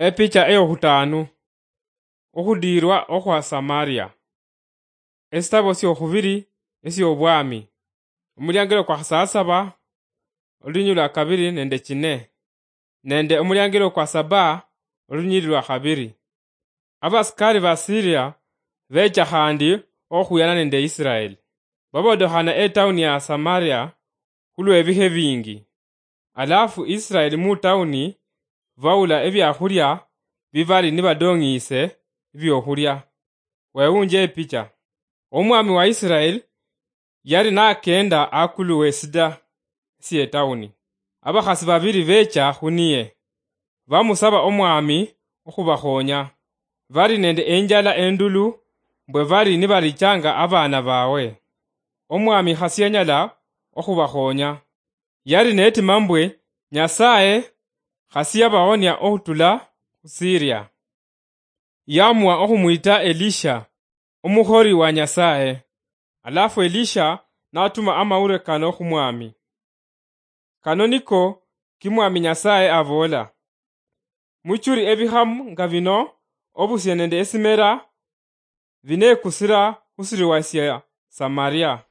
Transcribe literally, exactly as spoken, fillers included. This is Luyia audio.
Epicha eyokhutaanu. Okhudiirwa okhwa Samaria. Esitabo syokhubiri esyobwami. Omuliangelo kwa khasasaba, olunyiriri lwa kabiri nende kine, nende omuliangelo kwa saba, olunyiriri lwa khabiri. Abasikari ba Siria becha khandi okhuyana nende Israeli. Babodokhana etauni ya Samaria khulwebihe bingi. Alafu Israeli mu tauni baula ebiakhulia bibali nibadong'ise ebiokhulia. Wewunje epicha. Omwami wa Israeli yali nakenda akulu wesida sie tauni. Abakhasi babiri becha khuniye. Bamusaba omwami okhubakhonya. Bali nende enjala endulu mbwe bali nibalichanga abana bawe. Omwami khasianyala okhubakhonya. Yali netima mbwe Nyasaye khasiyabahonia okhutula khu Siria. Yamua okhumwita Elisha, omukhori wa Nyasaye. Alafu Elisha natuma amawulire kano khumwami. Kano niko kimwami Nyasaye aboola: Muchuri ebikhamu nga bino, obusie nende esimera binekusira khusiriwa sia Samaria.